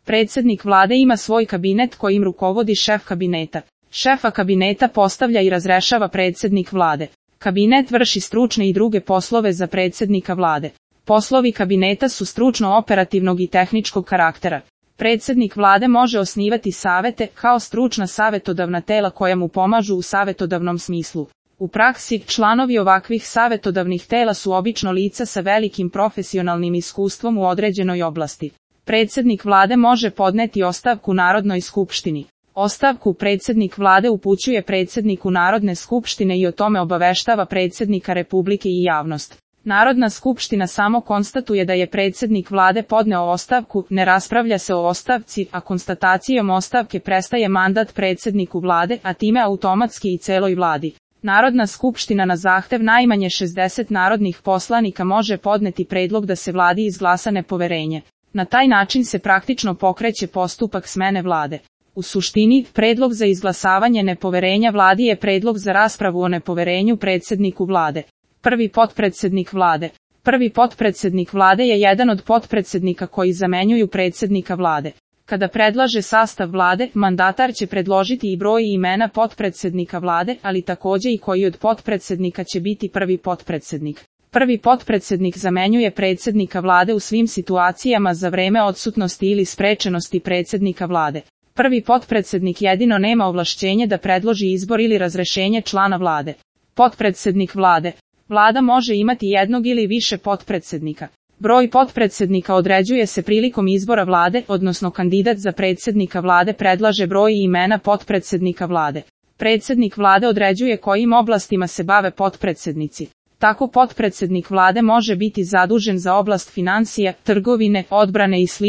Predsjednik vlade ima svoj kabinet kojim rukovodi šef kabineta. Šefa kabineta postavlja i razrešava predsjednik vlade. Kabinet vrši stručne i druge poslove za predsjednika vlade. Poslovi kabineta su stručno-operativnog i tehničkog karaktera. Predsjednik vlade može osnivati savete kao stručna savjetodavna tela koja mu pomažu u savjetodavnom smislu. U praksi, članovi ovakvih savjetodavnih tela su obično lica sa velikim profesionalnim iskustvom u određenoj oblasti. Predsjednik vlade može podneti ostavku Narodnoj skupštini. Ostavku predsjednik vlade upućuje predsjedniku Narodne skupštine i o tome obaveštava predsjednika Republike i javnost. Narodna skupština samo konstatuje da je predsjednik vlade podneo ostavku, ne raspravlja se o ostavci, a konstatacijom ostavke prestaje mandat predsjedniku vlade, a time automatski i celoj vladi. Narodna skupština na zahtev najmanje 60 narodnih poslanika može podneti predlog da se vladi izglasa nepoverenje. Na taj način se praktično pokreće postupak smene vlade. U suštini, predlog za izglasavanje nepoverenja vladi je predlog za raspravu o nepoverenju predsjedniku vlade. Prvi potpredsjednik vlade. Prvi potpredsjednik vlade je jedan od potpredsjednika koji zamenjuju predsjednika vlade. Kada predlaže sastav vlade, mandatar će predložiti i broj i imena potpredsjednika vlade, ali također i koji od potpredsjednika će biti prvi potpredsjednik. Prvi potpredsjednik zamenjuje predsjednika vlade u svim situacijama za vreme odsutnosti ili sprečenosti predsjednika vlade. Prvi potpredsjednik jedino nema ovlašćenje da predloži izbor ili razrešenje člana vlade. Potpredsjednik vlade. Vlada može imati jednog ili više potpredsjednika. Broj potpredsjednika određuje se prilikom izbora vlade, odnosno kandidat za predsjednika vlade predlaže broj i imena potpredsjednika vlade. Predsjednik vlade određuje kojim oblastima se bave potpredsjednici. Tako potpredsjednik vlade može biti zadužen za oblast financija, trgovine, odbrane i sl.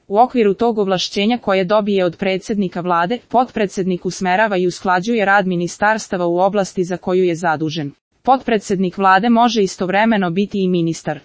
U okviru tog ovlašćenja koje dobije od predsjednika vlade, potpredsjednik usmerava i usklađuje rad ministarstava u oblasti za koju je zadužen. Potpredsjednik vlade može istovremeno biti i ministar.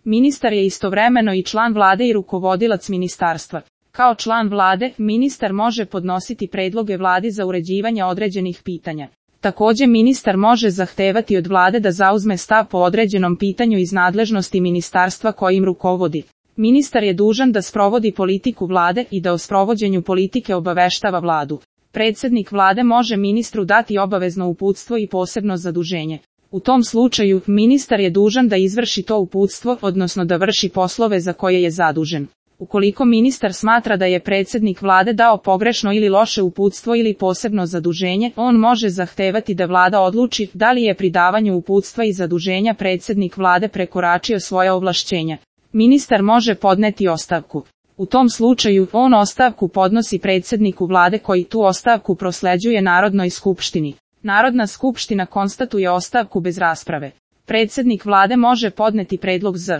Ministar je istovremeno i član vlade i rukovodilac ministarstva. Kao član vlade, ministar može podnositi predloge vladi za uređivanje određenih pitanja. Također ministar može zahtevati od vlade da zauzme stav po određenom pitanju iz nadležnosti ministarstva kojim rukovodi. Ministar je dužan da sprovodi politiku vlade i da o sprovođenju politike obaveštava vladu. Predsjednik vlade može ministru dati obavezno uputstvo i posebno zaduženje. U tom slučaju, ministar je dužan da izvrši to uputstvo, odnosno da vrši poslove za koje je zadužen. Ukoliko ministar smatra da je predsjednik vlade dao pogrešno ili loše uputstvo ili posebno zaduženje, on može zahtevati da vlada odluči da li je pri davanju uputstva i zaduženja predsjednik vlade prekoračio svoja ovlašćenja. Ministar može podneti ostavku. U tom slučaju, on ostavku podnosi predsjedniku vlade koji tu ostavku prosleđuje Narodnoj skupštini. Narodna skupština konstatuje ostavku bez rasprave. Predsjednik vlade može podneti predlog za